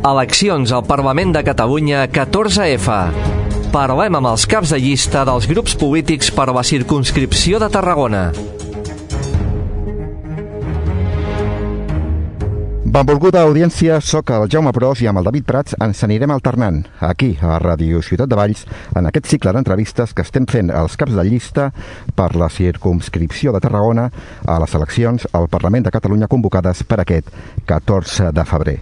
Eleccions al Parlament de Catalunya 14F. Parlem amb els caps de llista dels grups polítics per a la circumscripció de Tarragona. Benvolguda audiència, soc el Jaume Pros i amb el David Prats ens anirem alternant aquí a Ràdio Ciutat de Valls en aquest cicle d'entrevistes que estem fent als caps de llista per la circumscripció de Tarragona a les eleccions al Parlament de Catalunya convocades per aquest 14 de febrer.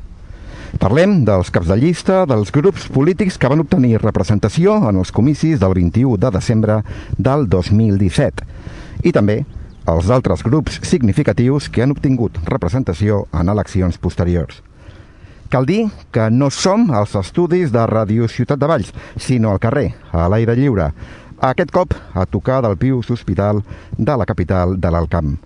Parlem dels caps de llista dels grups polítics que van obtenir representació en els comicis del 21 de desembre del 2017 i també els altres grups significatius que han obtingut representació en eleccions posteriors. Cal dir que no som als estudis de Ràdio Ciutat de Valls, sinó al carrer, a l'aire lliure, aquest cop a tocar del Pius Hospital de la capital de l'Alt Camp.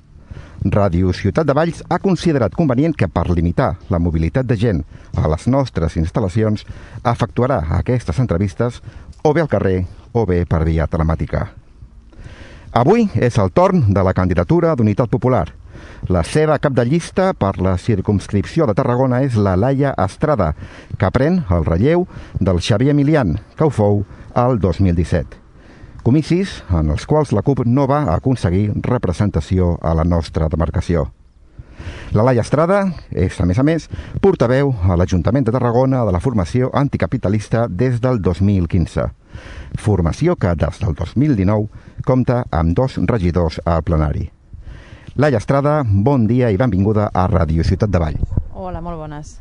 Ràdio Ciutat de Valls ha considerat convenient que per limitar la mobilitat de gent a les nostres instal·lacions efectuarà aquestes entrevistes o bé al carrer o bé per via telemàtica. Avui és el torn de la candidatura d'Unitat Popular. La seva cap de llista per la circumscripció de Tarragona és la Laia Estrada, que pren el relleu del Xavier Milian, que ho fou el 2017. Comicis en els quals la CUP no va aconseguir representació a la nostra demarcació. La Laia Estrada és, a més, portaveu a l'Ajuntament de Tarragona de la formació anticapitalista des del 2015. Formació que des del 2019 compta amb 2 regidors al plenari. Laia Estrada, bon dia i benvinguda a Ràdio Ciutat de Valls. Hola, molt bones.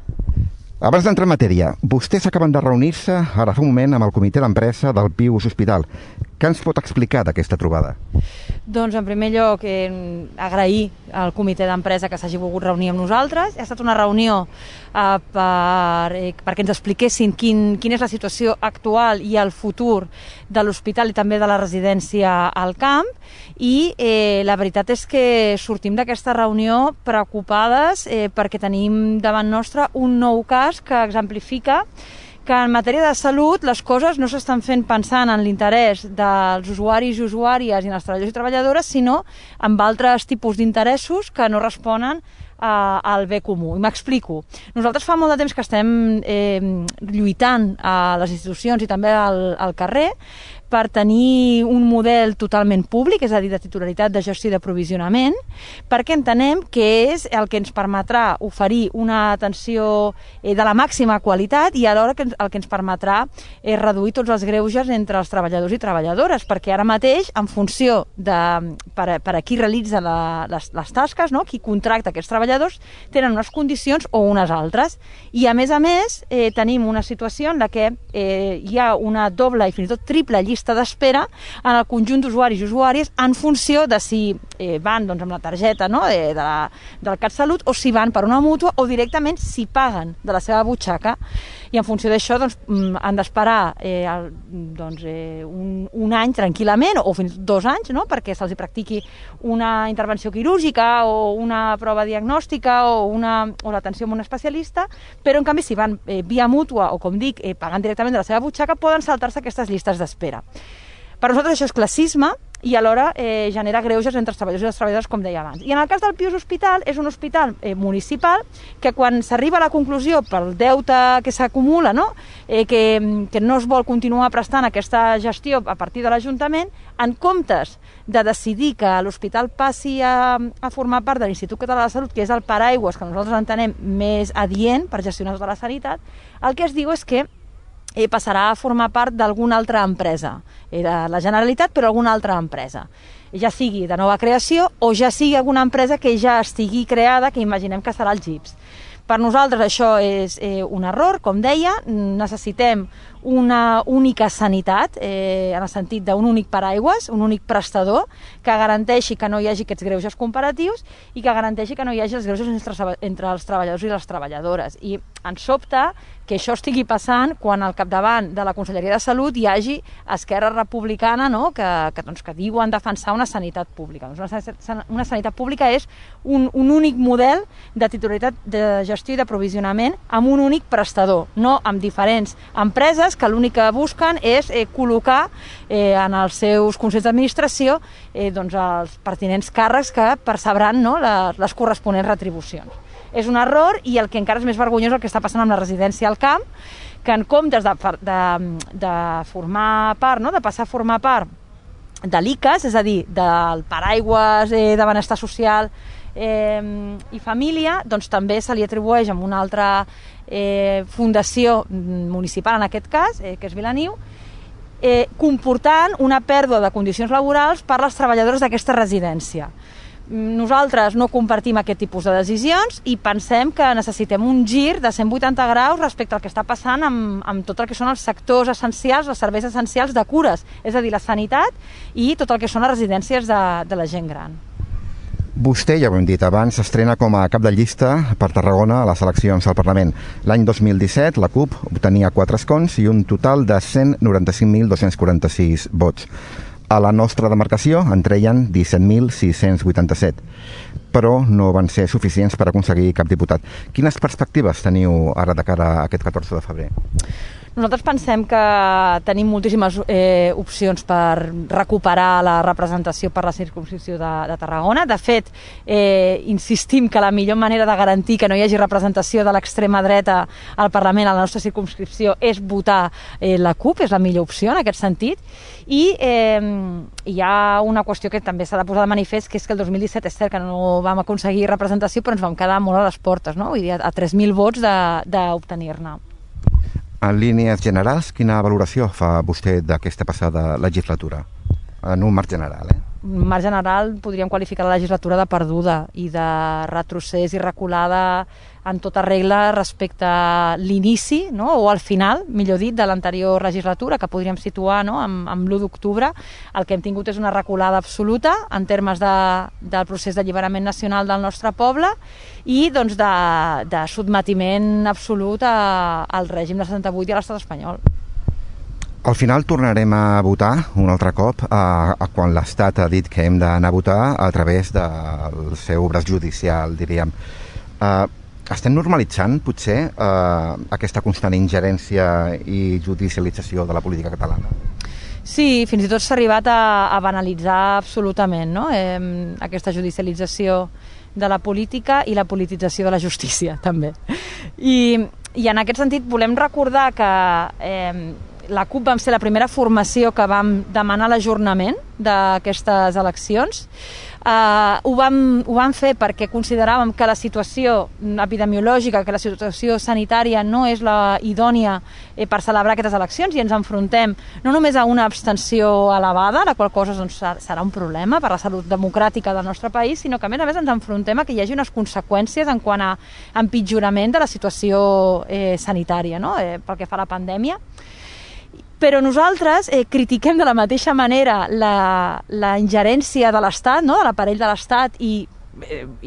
Abans d'entrar en matèria, vostès acaben de reunir-se ara fa un moment amb el comitè d'empresa del Pius Hospital. Què ens pot explicar d'aquesta trobada? Doncs, en primer lloc, agrair al comitè d'empresa que s'hagi volgut reunir amb nosaltres. Ha estat una reunió perquè ens expliquessin quina és la situació actual i el futur de l'hospital i també de la residència al camp. I la veritat és que sortim d'aquesta reunió preocupades perquè tenim davant nostre un nou cas que exemplifica que en matèria de salut les coses no s'estan fent pensant en l'interès dels usuaris i usuàries i els treballadors i treballadores, sinó amb altres tipus d'interessos que no responen al bé comú. I m'explico. Nosaltres fa molt de temps que estem lluitant a les institucions i també al carrer per tenir un model totalment públic, és a dir, de titularitat, de gestió i d'aprovisionament, perquè entenem que és el que ens permetrà oferir una atenció de la màxima qualitat i alhora el que ens permetrà reduir tots els greuges entre els treballadors i treballadores, perquè ara mateix, en funció de per a qui realitza les tasques, no? Qui contracta aquests treballadors, tenen unes condicions o unes altres. I a més, tenim una situació en la que hi ha una doble i fins i tot triple llista d'espera en el conjunt d'usuaris i usuàries en funció de si van amb la targeta del CatSalut o si van per una mútua o directament si paguen de la seva butxaca. I en funció d'això han d'esperar un any tranquil·lament o fins 2 anys, no? Perquè se'ls practiqui una intervenció quirúrgica o una prova diagnòstica o l'atenció amb un especialista, però en canvi si van via mútua o, com dic, pagant directament de la seva butxaca, poden saltar-se aquestes llistes d'espera. Per nosaltres això és classisme i alhora genera greuges entre els treballadors i les treballadores, com deia abans. I en el cas del Pius Hospital, és un hospital municipal que quan s'arriba a la conclusió pel deute que s'acumula, no? Que no es vol continuar prestant aquesta gestió a partir de l'Ajuntament, en comptes de decidir que l'hospital passi a formar part de l'Institut Català de la Salut, que és el paraigües que nosaltres entenem més adient per gestionar tota la sanitat, el que es diu és que passarà a formar part d'alguna altra empresa, de la Generalitat, però alguna altra empresa. Ja sigui de nova creació o ja sigui alguna empresa que ja estigui creada, que imaginem que serà el GIPS. Per nosaltres això és un error, com deia, necessitem una única sanitat, en el sentit d'un únic paraigües, un únic prestador, que garanteixi que no hi hagi aquests greuges comparatius i que garanteixi que no hi hagi els greuges entre els treballadors i les treballadores. I ens sobta que això estigui passant quan al capdavant de la Conselleria de Salut hi hagi Esquerra Republicana, no? que diuen defensar una sanitat pública. Una sanitat pública és un únic model de titularitat de gestió i d'aprovisionament amb un únic prestador, no amb diferents empreses que l'únic que busquen és col·locar en els seus consells d'administració els pertinents càrrecs que percebran les corresponents retribucions. És un error, i el que encara és més vergonyós el que està passant amb la residència al camp, que en comptes de formar part, no? De passar a formar part de l'ICAS, és a dir, del paraigües de benestar social i família, doncs també se li atribueix amb una altra fundació municipal, en aquest cas, que és Vilaniu, comportant una pèrdua de condicions laborals per les treballadores d'aquesta residència. Nosaltres no compartim aquest tipus de decisions i pensem que necessitem un gir de 180 graus respecte al que està passant amb tot el que són els sectors essencials, els serveis essencials de cures, és a dir, la sanitat i tot el que són les residències de la gent gran. Vostè, ja ho hem dit abans, s'estrena com a cap de llista per Tarragona a les eleccions al Parlament. L'any 2017 la CUP obtenia 4 escons i un total de 195.246 vots. A la nostra demarcació en treien 17.687, però no van ser suficients per aconseguir cap diputat. Quines perspectives teniu ara de cara a aquest 14 de febrer? Nosaltres pensem que tenim moltíssimes opcions per recuperar la representació per la circumscripció de Tarragona. De fet, insistim que la millor manera de garantir que no hi hagi representació de l'extrema dreta al Parlament a la nostra circumscripció és votar la CUP, és la millor opció en aquest sentit. I hi ha una qüestió que també s'ha de posar de manifest, que és que el 2017 és cert que no vam aconseguir representació, però ens vam quedar molt a les portes, no? Vull dir, a 3.000 vots d'obtenir-ne. En línies generals, quina valoració fa vostè d'aquesta passada legislatura? En un marc general, En un marc general podríem qualificar la legislatura de perduda i de retrocés i reculada en tota regla respecte a l'inici, no? O al final, millor dit, de l'anterior legislatura, que podríem situar, no? amb l'1 d'octubre. El que hem tingut és una reculada absoluta en termes del procés d'alliberament nacional del nostre poble i doncs, de sotmetiment absolut al règim de 78 i a l'estat espanyol. Al final tornarem a votar un altre cop quan l'Estat ha dit que hem d'anar a votar a través del seu braç judicial, diríem. Estem normalitzant, potser, aquesta constant ingerència i judicialització de la política catalana? Sí, fins i tot s'ha arribat a banalitzar absolutament, no? Aquesta judicialització de la política i la politització de la justícia, també. I en aquest sentit volem recordar que la CUP vam ser la primera formació que vam demanar l'ajornament d'aquestes eleccions. Ho vam fer perquè consideràvem que la situació epidemiològica, que la situació sanitària no és la idònia per celebrar aquestes eleccions i ens enfrontem no només a una abstenció elevada, la qual cosa doncs, serà un problema per la salut democràtica del nostre país, sinó que a més ens enfrontem a que hi hagi unes conseqüències en quant a empitjorament de la situació sanitària, no? Pel que fa a la pandèmia. Però nosaltres critiquem de la mateixa manera la ingerència de l'Estat, no? De l'aparell de l'Estat, i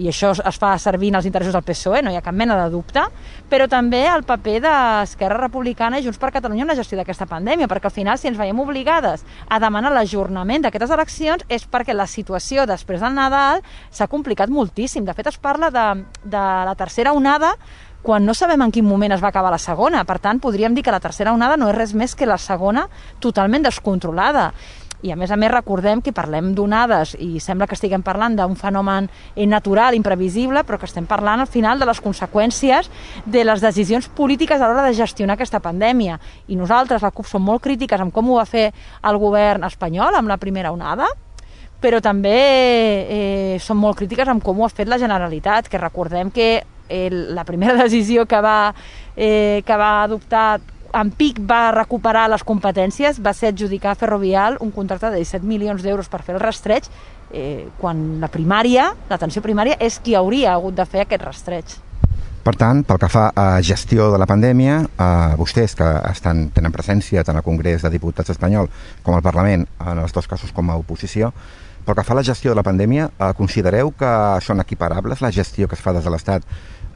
això es fa servir en els interessos del PSOE, no hi ha cap mena de dubte, però també el paper d'Esquerra Republicana i Junts per Catalunya en la gestió d'aquesta pandèmia, perquè al final, si ens veiem obligades a demanar l'ajornament d'aquestes eleccions, és perquè la situació després del Nadal s'ha complicat moltíssim. De fet, es parla de la tercera onada quan no sabem en quin moment es va acabar la segona. Per tant, podríem dir que la tercera onada no és res més que la segona totalment descontrolada. I a més recordem que parlem d'onades i sembla que estiguem parlant d'un fenomen natural, imprevisible, però que estem parlant al final de les conseqüències de les decisions polítiques a l'hora de gestionar aquesta pandèmia. I nosaltres, la CUP, som molt crítiques amb com ho va fer el govern espanyol amb la primera onada, però també som molt crítiques amb com ho ha fet la Generalitat, que recordem que la primera decisió que va adoptar en pic va recuperar les competències, va ser adjudicar a Ferrovial un contracte de 17 milions d'euros per fer el rastreig, quan l'atenció primària és qui hauria hagut de fer aquest rastreig. Per tant, pel que fa a gestió de la pandèmia, vostès que tenen presència tant al Congrés de Diputats espanyol com al Parlament, en els dos casos com a oposició, pel que fa a la gestió de la pandèmia, considereu que són equiparables la gestió que es fa des de l'Estat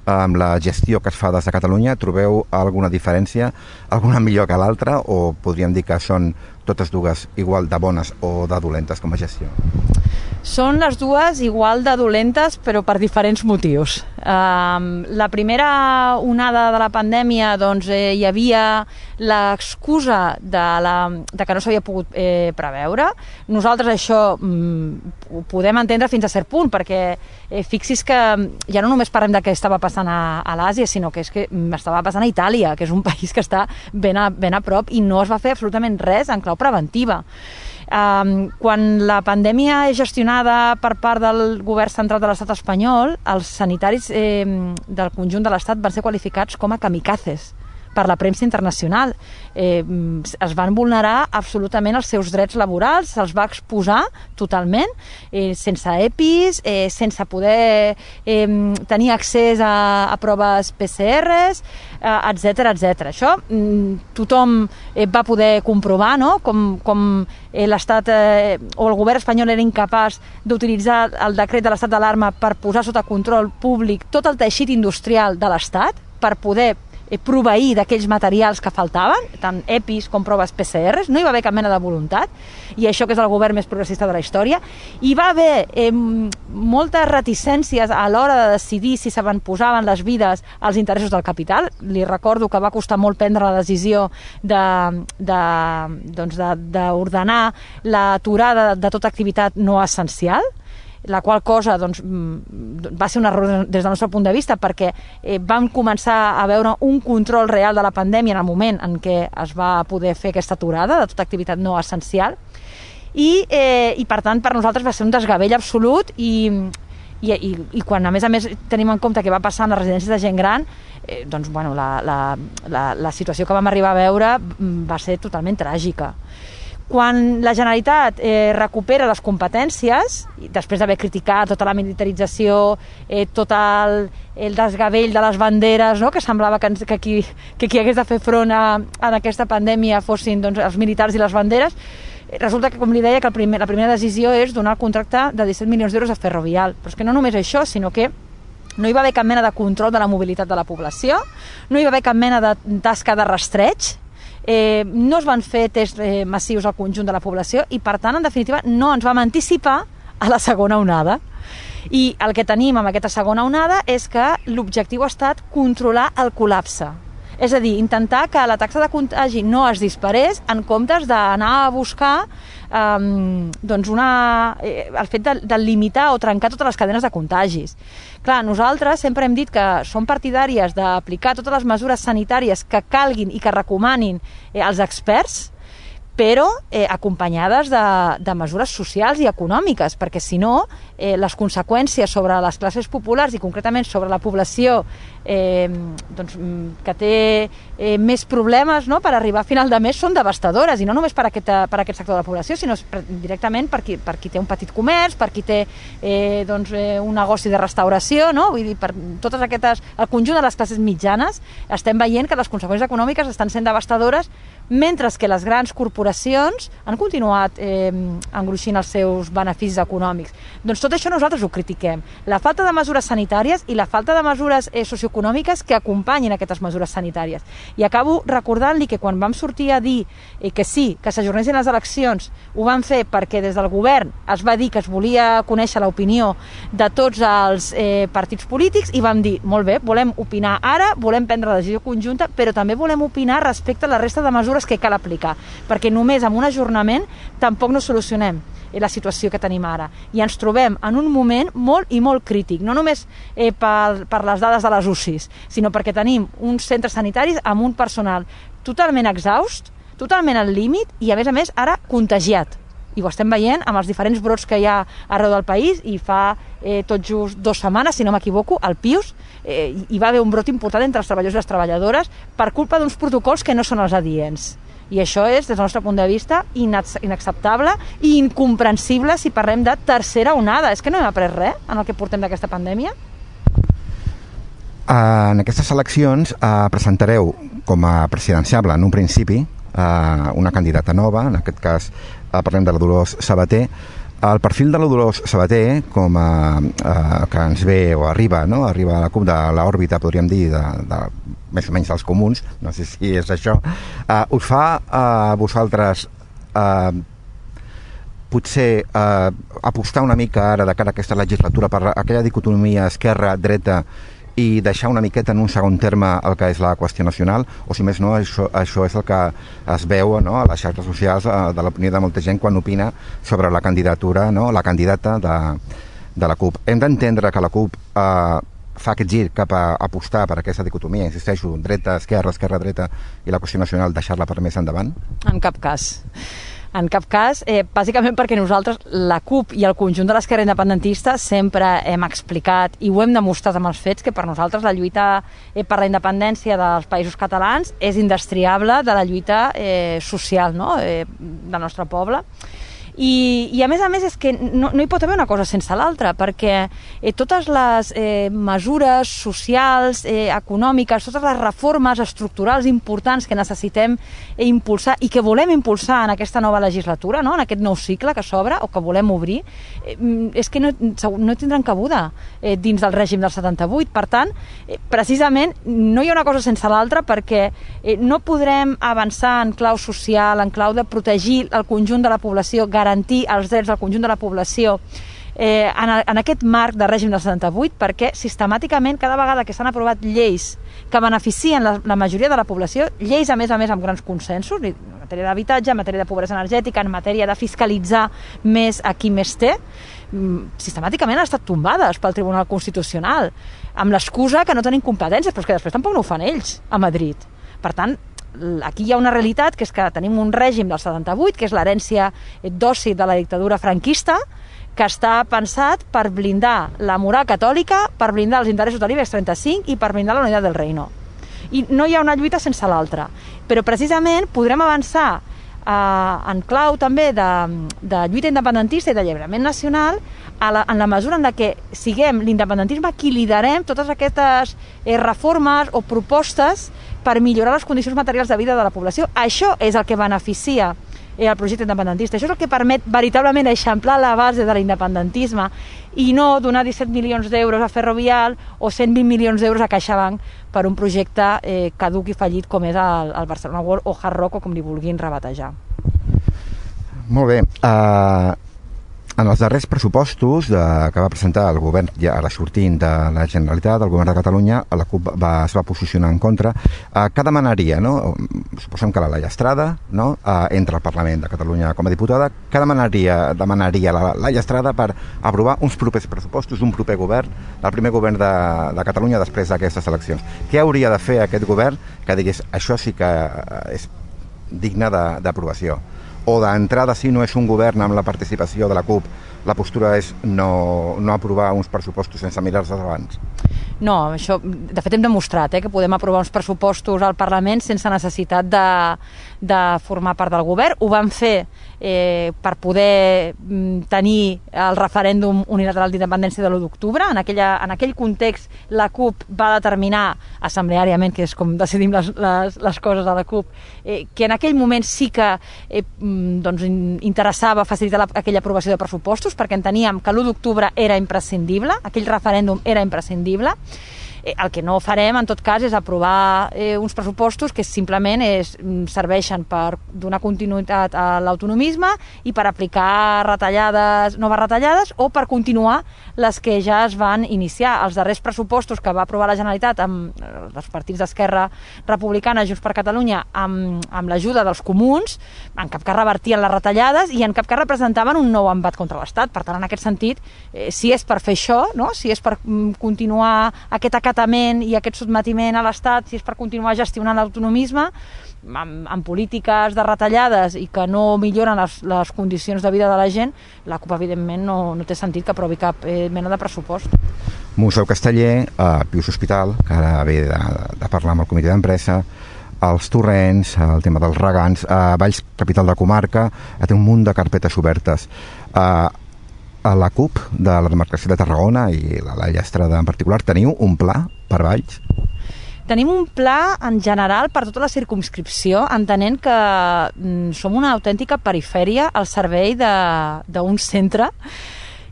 amb la gestió que es fa des de Catalunya? Trobeu alguna diferència, alguna millor que l'altra, o podríem dir que són totes dues igual de bones o de dolentes com a gestió? Són les dues igual de dolentes, però per diferents motius. La primera onada de la pandèmia, doncs, hi havia l'excusa de que no s'havia pogut preveure. Nosaltres això ho podem entendre fins a cert punt, perquè fixis que ja no només parlem de què estava passant a l'Àsia, sinó que és que estava passant a Itàlia, que és un país que està ben a prop, i no es va fer absolutament res en clau preventiva. Quan la pandèmia és gestionada per part del govern central de l'estat espanyol, els sanitaris del conjunt de l'estat van ser qualificats com a kamikazes per la premsa internacional. Es van vulnerar absolutament els seus drets laborals, se'ls va exposar totalment, sense EPIs, sense poder tenir accés a proves PCRs, etc. Això tothom va poder comprovar, no? Com l'Estat o el govern espanyol era incapaç d'utilitzar el decret de l'estat d'alarma per posar sota control públic tot el teixit industrial de l'Estat, per poder proveir d'aquells materials que faltaven, tant EPIs com proves PCRs. No hi va haver cap mena de voluntat, i això que és el govern més progressista de la història. Hi va haver moltes reticències a l'hora de decidir si s'avantposaven les vides als interessos del capital. Li recordo que va costar molt prendre la decisió d'ordenar l'aturada de tota activitat no essencial, la qual cosa va ser un error des del nostre punt de vista, perquè vam començar a veure un control real de la pandèmia en el moment en què es va poder fer aquesta aturada de tota activitat no essencial, i per tant per nosaltres va ser un desgavell absolut, i quan a més tenim en compte què va passar en les residències de gent gran, doncs bueno, la situació que vam arribar a veure va ser totalment tràgica. Quan la Generalitat recupera les competències, després d'haver criticat tota la militarització, tot el desgavell de les banderes, no? Que semblava que qui hagués de fer front a aquesta pandèmia fossin els militars i les banderes, resulta que, com li deia, que la primera decisió és donar el contracte de 17 milions d'euros a Ferrovial. Però és que no només això, sinó que no hi va haver cap mena de control de la mobilitat de la població, no hi va haver cap mena de tasca de rastreig, no es van fer tests massius al conjunt de la població, i per tant, en definitiva, no ens vam anticipar a la segona onada. I el que tenim amb aquesta segona onada és que l'objectiu ha estat controlar el col·lapse. És a dir, intentar que la taxa de contagi no es disparés en comptes d'anar a buscar el fet de limitar o trencar totes les cadenes de contagis. Clar, nosaltres sempre hem dit que som partidàries d'aplicar totes les mesures sanitàries que calguin i que recomanin els experts, però acompanyades de mesures socials i econòmiques, perquè si no, les conseqüències sobre les classes populars i concretament sobre la població que té més problemes per arribar a final de mes són devastadores, i no només per aquest sector de la població, sinó directament per qui té un petit comerç, per qui té un negoci de restauració, no? Vull dir, per totes aquestes, el conjunt de les classes mitjanes estem veient que les conseqüències econòmiques estan sent devastadores, mentre que les grans corporacions han continuat engruixint els seus beneficis econòmics. Doncs tot això nosaltres ho critiquem. La falta de mesures sanitàries i la falta de mesures socioeconòmiques que acompanyin aquestes mesures sanitàries. I acabo recordant-li que quan vam sortir a dir que sí, que s'ajornessin les eleccions, ho van fer perquè des del govern es va dir que es volia conèixer l'opinió de tots els partits polítics, i vam dir, molt bé, volem opinar ara, volem prendre la decisió conjunta, però també volem opinar respecte a la resta de mesures que cal aplicar, perquè només amb un ajornament tampoc no solucionem la situació que tenim ara. I ens trobem en un moment molt i molt crític, no només per les dades de les UCIs, sinó perquè tenim uns centres sanitaris amb un personal totalment exhaust, totalment al límit, i a més ara contagiat. I ho estem veient amb els diferents brots que hi ha arreu del país, i fa tot just 2 setmanes, si no m'equivoco, al Pius hi va haver un brot important entre els treballadors i les treballadores per culpa d'uns protocols que no són els adients. I això és, des del nostre punt de vista, inacceptable i incomprensible si parlem de tercera onada. És que no hem après res en el que portem d'aquesta pandèmia? En aquestes eleccions presentareu com a presidenciable, en un principi, una candidata nova, en aquest cas parlem de la Dolors Sabater. El perfil de la Dolors Sabater, com que ens ve o arriba, no? Arriba a la CUP de l'òrbita, podríem dir, de més o menys dels comuns, no sé si és això, us fa a vosaltres potser apostar una mica ara de cara a aquesta legislatura per aquella dicotomia esquerra-dreta i deixar una miqueta en un segon terme el que és la qüestió nacional, o si més no, això és el que es veu, no, a les xarxes socials de l'opinió de molta gent quan opina sobre la candidatura, no, la candidata de la CUP. Hem d'entendre que la CUP fa aquest gir cap a apostar per aquesta dicotomia, insisteixo, dreta-esquerra, esquerra-dreta i la qüestió nacional deixar-la per més endavant? En cap cas. En cap cas, bàsicament perquè nosaltres, la CUP i el conjunt de l'esquerra independentista, sempre hem explicat i ho hem demostrat amb els fets que per nosaltres la lluita per la independència dels països catalans és indestriable de la lluita social, no? Del nostre poble. I a més és que no hi pot haver una cosa sense l'altra, perquè totes les mesures socials, econòmiques, totes les reformes estructurals importants que necessitem impulsar i que volem impulsar en aquesta nova legislatura, no? En aquest nou cicle que s'obre o que volem obrir, és que no tindran cabuda dins del règim del 78. Per tant, precisament no hi ha una cosa sense l'altra, perquè no podrem avançar en clau social, en clau de protegir el conjunt de la població, garantir els drets del conjunt de la població en aquest marc de règim del 78, perquè sistemàticament cada vegada que s'han aprovat lleis que beneficien la majoria de la població, lleis a més amb grans consensos, en matèria d'habitatge, en matèria de pobresa energètica, en matèria de fiscalitzar més a qui més té, sistemàticament han estat tombades pel Tribunal Constitucional, amb l'excusa que no tenen competències, però és que després tampoc no ho fan ells a Madrid. Per tant, aquí hi ha una realitat, que és que tenim un règim del 78, que és l'herència d'oci de la dictadura franquista, que està pensat per blindar la moral catòlica, per blindar els interessos de l'IBEX 35 i per blindar la unitat del reino. I no hi ha una lluita sense l'altra. Però precisament podrem avançar en clau també de lluita independentista i d'alliberament nacional en la mesura en la que siguem l'independentisme qui liderem totes aquestes reformes o propostes per millorar les condicions materials de vida de la població. Això és el que beneficia el projecte independentista. Això és el que permet veritablement eixamplar la base de l'independentisme i no donar 17 milions d'euros a Ferrovial o 120 milions d'euros a CaixaBank per un projecte caduc i fallit com és el Barcelona World o Hard Rock, o com li vulguin rebatejar. Molt bé. En els darrers pressupostos que va presentar el govern ja ara sortint de la Generalitat, el govern de Catalunya, la CUP es va posicionar en contra. Què demanaria, no? Suposem que la Laia Estrada, no? Entra al Parlament de Catalunya com a diputada. Què demanaria la Laia Estrada per aprovar uns propers pressupostos d'un proper govern, del primer govern de Catalunya després d'aquestes eleccions? Què hauria de fer aquest govern que digués això sí que és digne d'aprovació? O d'entrada, si no és un govern amb la participació de la CUP, la postura és no aprovar uns pressupostos sense mirar-se abans? No, això, de fet hem demostrat que podem aprovar uns pressupostos al Parlament sense necessitat de formar part del govern. Ho vam fer per poder tenir el referèndum unilateral d'independència de l'1 d'octubre. En aquell context la CUP va determinar assembleàriament, que és com decidim les coses a la CUP, que en aquell moment sí que interessava facilitar aquella aprovació de pressupostos, perquè enteníem que l'1 d'octubre era imprescindible, aquell referèndum era imprescindible. El que no farem, en tot cas, és aprovar uns pressupostos que simplement serveixen per donar continuïtat a l'autonomisme i per aplicar noves retallades o per continuar les que ja es van iniciar. Els darrers pressupostos que va aprovar la Generalitat amb els partits d'Esquerra Republicana, Junts per Catalunya, amb l'ajuda dels comuns, en cap cas revertien les retallades i en cap cas representaven un nou embat contra l'Estat. Per tant, en aquest sentit, si és per fer això, no? Si és per continuar aquest acatament i aquest sotmetiment a l'Estat, si és per continuar gestionant l'autonomisme amb polítiques de retallades i que no milloren les condicions de vida de la gent, la CUP evidentment no té sentit que aprovi cap mena de pressupost. Museu Casteller, Pius Hospital, que ara ve de parlar amb el comitè d'empresa, els torrents, el tema dels regants, Valls, capital de comarca, té un munt de carpetes obertes. A la CUP de la demarcació de Tarragona i la Laia Estrada en particular, teniu un pla per Valls? Tenim un pla en general per tota la circumscripció, entenent que som una autèntica perifèria al servei d'un centre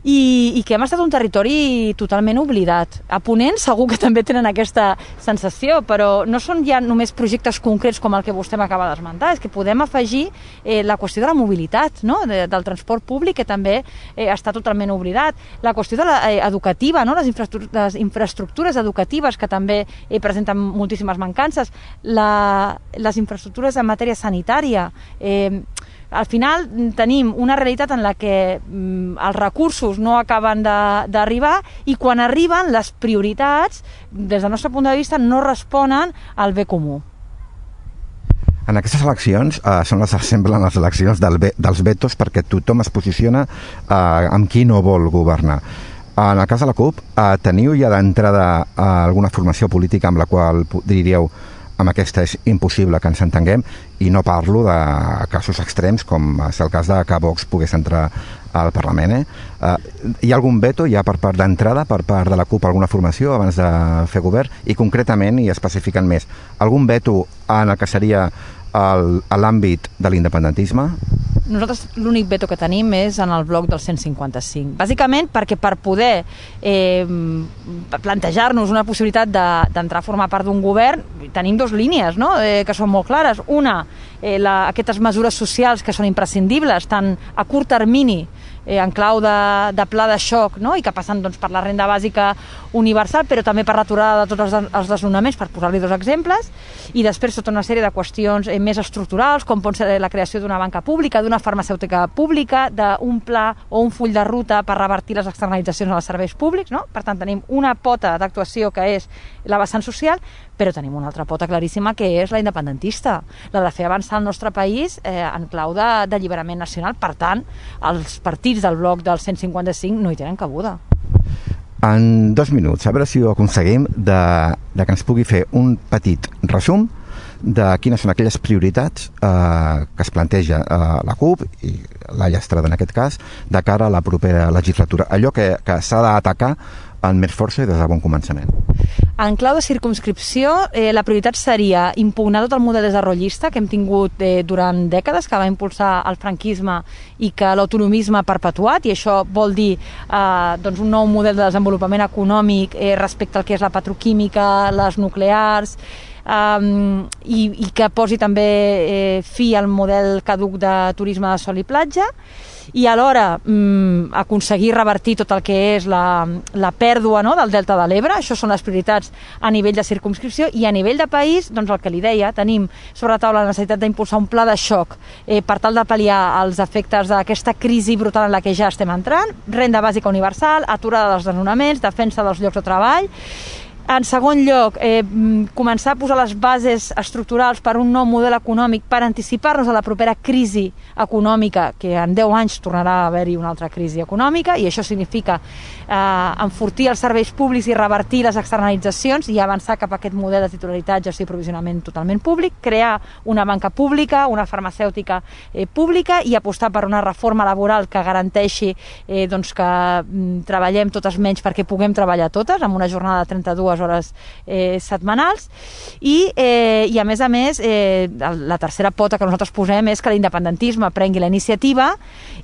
i que hem estat un territori totalment oblidat. A Ponent segur que també tenen aquesta sensació, però no són ja només projectes concrets com el que vostè m'acaba d'esmentar, és que podem afegir la qüestió de la mobilitat, no? Del transport públic, que també està totalment oblidat, la qüestió de educativa, no? Les infraestructures educatives, que també presenten moltíssimes mancances, les infraestructures en matèria sanitària. Al final tenim una realitat en la que els recursos no acaben d'arribar i quan arriben les prioritats, des del nostre punt de vista, no responen al bé comú. En aquestes eleccions semblen les eleccions dels vetos perquè tothom es posiciona amb qui no vol governar. En el cas de la CUP, teniu ja d'entrada alguna formació política amb la qual diríeu amb aquesta és impossible que ens entenguem, i no parlo de casos extrems com és el cas de que Vox pogués entrar al Parlament. Hi ha algun veto ja per part d'entrada, per part de la CUP, alguna formació abans de fer govern? I concretament, i especificant més, algun veto en el que seria a l'àmbit de l'independentisme? Nosaltres l'únic veto que tenim és en el bloc del 155. Bàsicament perquè per poder plantejar-nos una possibilitat d'entrar a formar part d'un govern tenim dues línies, no? Que són molt clares. Una, aquestes mesures socials que són imprescindibles, tant a curt termini en clau de pla de xoc, no? I que passen per la renda bàsica universal, però també per l'aturada de tots els desnonaments, per posar-li dos exemples, i després tota una sèrie de qüestions més estructurals, com pot ser la creació d'una banca pública, d'una farmacèutica pública, d'un pla o un full de ruta per revertir les externalitzacions als serveis públics, no? Per tant, tenim una pota d'actuació que és la vessant social, però tenim una altra pota claríssima que és la independentista, la de fer avançar el nostre país en clau d'alliberament nacional. Per tant, els partits del bloc del 155 no hi tenen cabuda. En 2 minuts, a veure si ho aconseguim de que ens pugui fer un petit resum de quines són aquelles prioritats que es planteja la CUP i la Llastrada en aquest cas de cara a la propera legislatura, allò que s'ha d'atacar amb més força i des de bon començament. En clau de circumscripció, la prioritat seria impugnar tot el model desarrollista que hem tingut durant dècades, que va impulsar el franquisme i que l'autonomisme ha perpetuat, i això vol dir un nou model de desenvolupament econòmic respecte al que és la petroquímica, les nuclears, i que posi també fi al model caduc de turisme de sol i platja, i alhora aconseguir revertir tot el que és la pèrdua, no?, del Delta de l'Ebre. Això són les prioritats a nivell de circumscripció, i a nivell de país, doncs el que li deia, tenim sobre la taula la necessitat d'impulsar un pla de xoc per tal de pal·liar els efectes d'aquesta crisi brutal en la que ja estem entrant, renda bàsica universal, aturada dels desnonaments, defensa dels llocs de treball. En segon lloc, començar a posar les bases estructurals per un nou model econòmic per anticipar-nos a la propera crisi econòmica, que en 10 anys tornarà a haver-hi una altra crisi econòmica, i això significa enfortir els serveis públics i revertir les externalitzacions i avançar cap a aquest model de titularitat, gestió i provisionament totalment públic, crear una banca pública, una farmacèutica pública, i apostar per una reforma laboral que garanteixi que treballem totes menys perquè puguem treballar totes, amb una jornada de 32 hores setmanals, i a més, la tercera pota que nosaltres posem és que l'independentisme prengui la iniciativa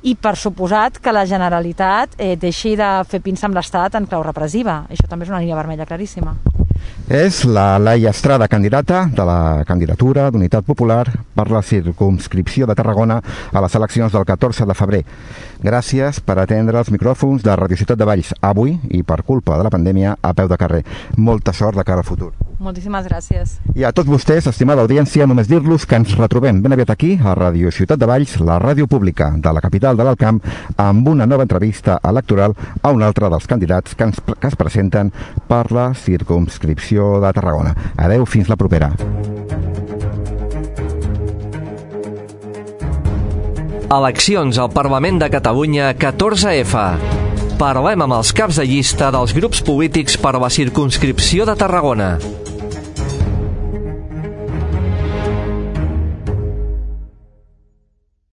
i, per suposat, que la Generalitat deixi de fer pinça amb l'Estat en clau repressiva. Això també és una línia vermella claríssima. És la Laia Estrada, candidata de la candidatura d'Unitat Popular per la circumscripció de Tarragona a les eleccions del 14 de febrer. Gràcies per atendre els micròfons de Radio Ciutat de Valls avui, i per culpa de la pandèmia, a peu de carrer. Molta sort de cara al futur. Moltíssimes gràcies. I a tots vostès, estimada audiència, només dir-los que ens retrobem ben aviat aquí, a Radio Ciutat de Valls, la ràdio pública de la capital de l'Alt Camp, amb una nova entrevista electoral a un altre dels candidats que es presenten per la circumscripció de Tarragona. Adeu, fins la propera. Eleccions al Parlament de Catalunya 14F. Parlem amb els caps de llista dels grups polítics per a la circumscripció de Tarragona.